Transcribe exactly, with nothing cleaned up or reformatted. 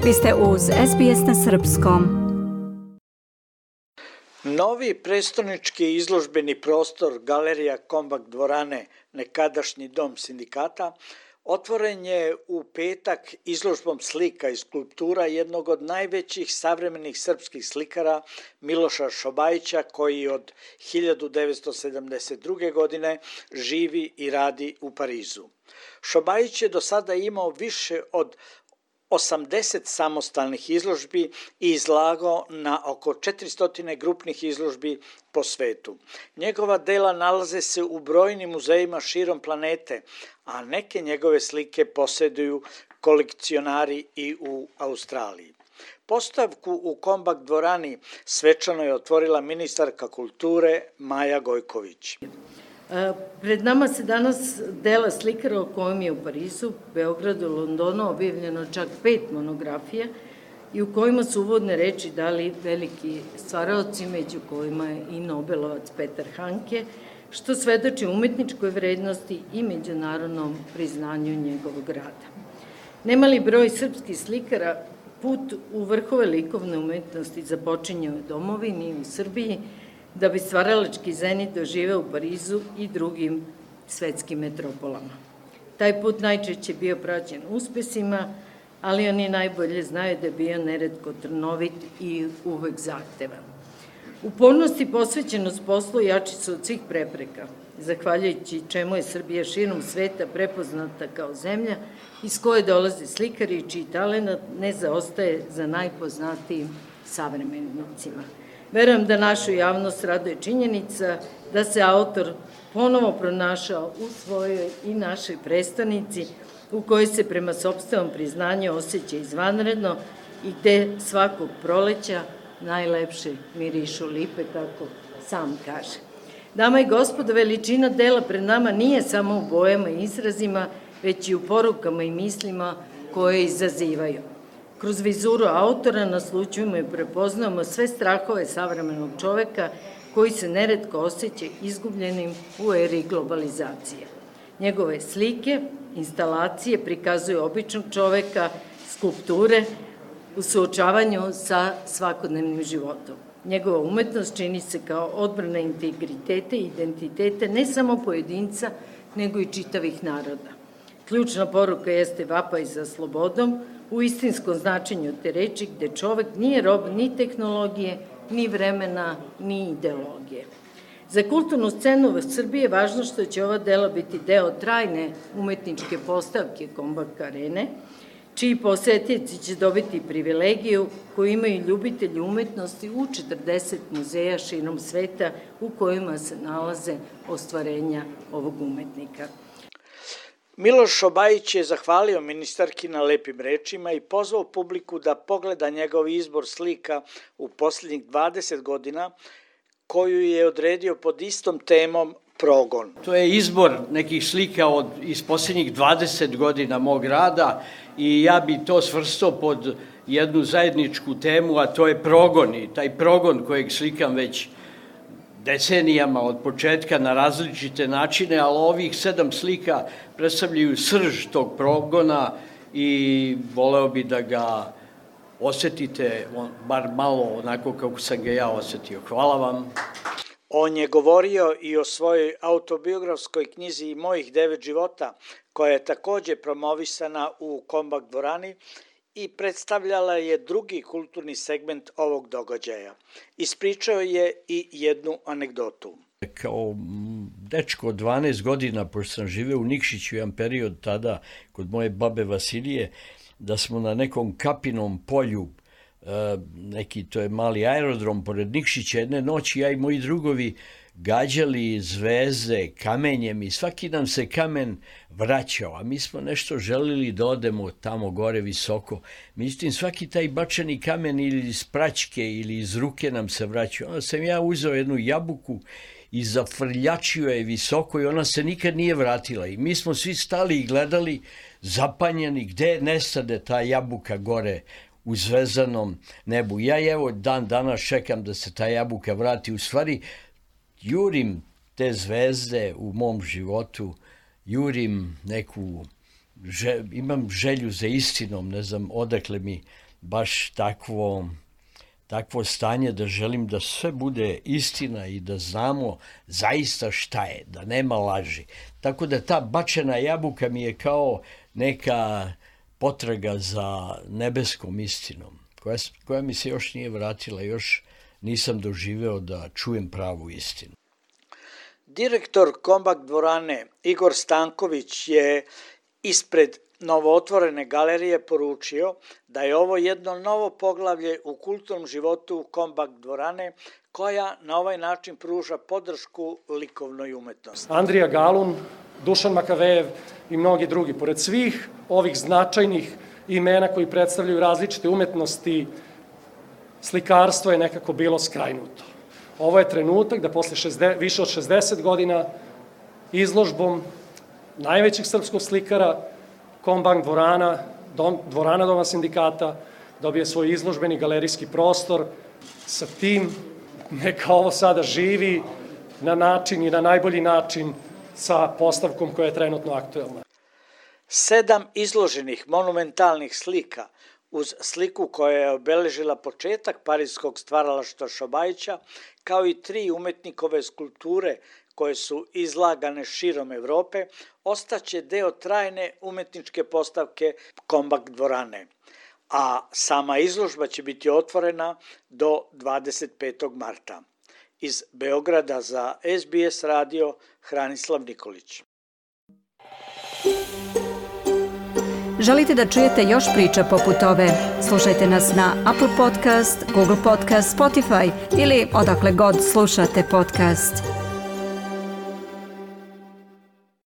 Vi ste uz S B S na srpskom. Novi prestonički izložbeni prostor Galerija Kombak dvorane, nekadašnji dom sindikata, otvoren je u petak izložbom slika i skulptura jednog od najvećih savremenih srpskih slikara Miloša Šobajića, koji od hiljadu devetsto sedamdeset druge. godine živi i radi u Parizu. Šobajić je do sada imao više od osamdeset samostalnih izložbi i izlagao na oko četiristo grupnih izložbi po svetu. Njegova dela nalaze se u brojnim muzejima širom planete, a neke njegove slike posjeduju kolekcionari i u Australiji. Postavku u Kombak dvorani svečano je otvorila ministarka kulture Maja Gojković. Pred nama se danas dela slikara o kojem je u Parizu, Beogradu, Londonu objavljeno čak pet monografija i u kojima su uvodne reči dali veliki stvaraoci, među kojima je i Nobelovac Petar Hanke, što svedoči umetničkoj vrednosti i međunarodnom priznanju njegovog rada. Nemali broj srpskih slikara put u vrhove likovne umetnosti započinjao u domovini i u Srbiji, da bi stvaralački zenit doživeo u Parizu i drugim svetskim metropolama. Taj put najčešće bio praćen uspesima, ali oni najbolje znaju da je bio neretko trnovit i uvek zahtevan. Upornost i posvećenost poslu jači su od svih prepreka, zahvaljujući čemu je Srbija širom sveta prepoznata kao zemlja iz koje dolaze slikari čiji talenat ne zaostaje za najpoznatijim savremenicima. Verujem da našu javnost raduje činjenica da se autor ponovo pronašao u svojoj i našoj prestonici, u kojoj se prema sopstvenom priznanju osjeća izvanredno i gde svakog proleća najlepše mirišu lipe, kako sam kaže. Dama i gospodo, veličina dela pred nama nije samo u bojama i izrazima, već i u porukama i mislima koje izazivaju. Kroz vizuru autora naslućujemo i prepoznamo sve strahove savremenog čoveka koji se neretko osjeća izgubljenim u eri globalizacije. Njegove slike, instalacije prikazuju običnog čoveka, skulpture u suočavanju sa svakodnevnim životom. Njegova umetnost čini se kao odbrana integriteta i identiteta ne samo pojedinca, nego i čitavih naroda. Ključna poruka jeste vapaj za slobodom, u istinskom značenju te reči, gde čovek nije rob ni tehnologije, ni vremena, ni ideologije. Za kulturnu scenu u Srbiji je važno što će ova dela biti deo trajne umetničke postavke Kombak arene, čiji posetioci će dobiti privilegiju koju imaju ljubitelji umetnosti u četrdeset muzeja širom sveta u kojima se nalaze ostvarenja ovog umetnika. Miloš Šobajić je zahvalio ministarki na lepim rečima i pozvao publiku da pogleda njegov izbor slika u posljednjih dvadeset godina, koju je odredio pod istom temom progon. To je izbor nekih slika od, iz posljednjih dvadeset godina mog rada i ja bi to svrstao pod jednu zajedničku temu, a to je progon i taj progon kojeg slikam već decenijama od početka na različite načine, ali ovih sedam slika predstavljaju srž tog progona i voleo bi da ga osetite, bar malo onako kako sam ga ja osetio. Hvala vam. On je govorio i o svojoj autobiografskoj knjizi I mojih devet života, koja je takođe promovisana u Kombak dvorani i predstavljala je drugi kulturni segment ovog događaja. Ispričao je i jednu anegdotu. Kao dečko od dvanaest godina, pošto sam živeo u Nikšiću jedan period tada kod moje babe Vasilije, da smo na nekom kapinom polju, neki to je mali aerodrom pored Nikšića, jedne noći ja i moji drugovi gađali zvezde kamenjem i svaki nam se kamen vraćao, a mi smo nešto želili da odemo tamo gore visoko. Međutim, svaki taj bačeni kamen ili iz praćke ili iz ruke nam se vraćao. Onda sam ja uzeo jednu jabuku i zafrljačio je visoko i ona se nikad nije vratila. I mi smo svi stali i gledali zapanjeni gde nestade ta jabuka gore u zvezdanom nebu. Ja evo dan danas čekam da se ta jabuka vrati. U stvari, jurim te zvezde u mom životu, jurim neku, že, imam želju za istinom, ne znam odakle mi baš takvo, takvo stanje da želim da sve bude istina i da znamo zaista šta je, da nema laži. Tako da ta bačena jabuka mi je kao neka potraga za nebeskom istinom, koja, koja mi se još nije vratila, još nisam doživeo da čujem pravu istinu. Direktor Kombak dvorane Igor Stanković je ispred novootvorene galerije poručio da je ovo jedno novo poglavlje u kulturnom životu Kombak dvorane koja na ovaj način pruža podršku likovnoj umetnosti. Andrija Galun, Dušan Makavejev i mnogi drugi. Pored svih ovih značajnih imena koji predstavljaju različite umetnosti, slikarstvo je nekako bilo skrajnuto. Ovo je trenutak da posle šezdeset, više od šezdeset godina izložbom najvećih srpskog slikara Kombak dvorana, dom, dvorana Doma sindikata, dobije svoj izložbeni galerijski prostor. Sa tim neka ovo sada živi na način i na najbolji način sa postavkom koja je trenutno aktuelna. Sedam izloženih monumentalnih slika uz sliku koja je obeležila početak parijskog stvaralaštva Šobajića, kao i tri umetnikove skulpture koje su izlagane širom Evrope, ostaće deo trajne umetničke postavke Kombak dvorane, a sama izložba će biti otvorena do dvadeset petog marta. Iz Beograda za S B S radio Hranislav Nikolić. Želite da čujete još priča poput ove? Slušajte nas na Apple Podcast, Google Podcast, Spotify ili odakle god slušate podcast.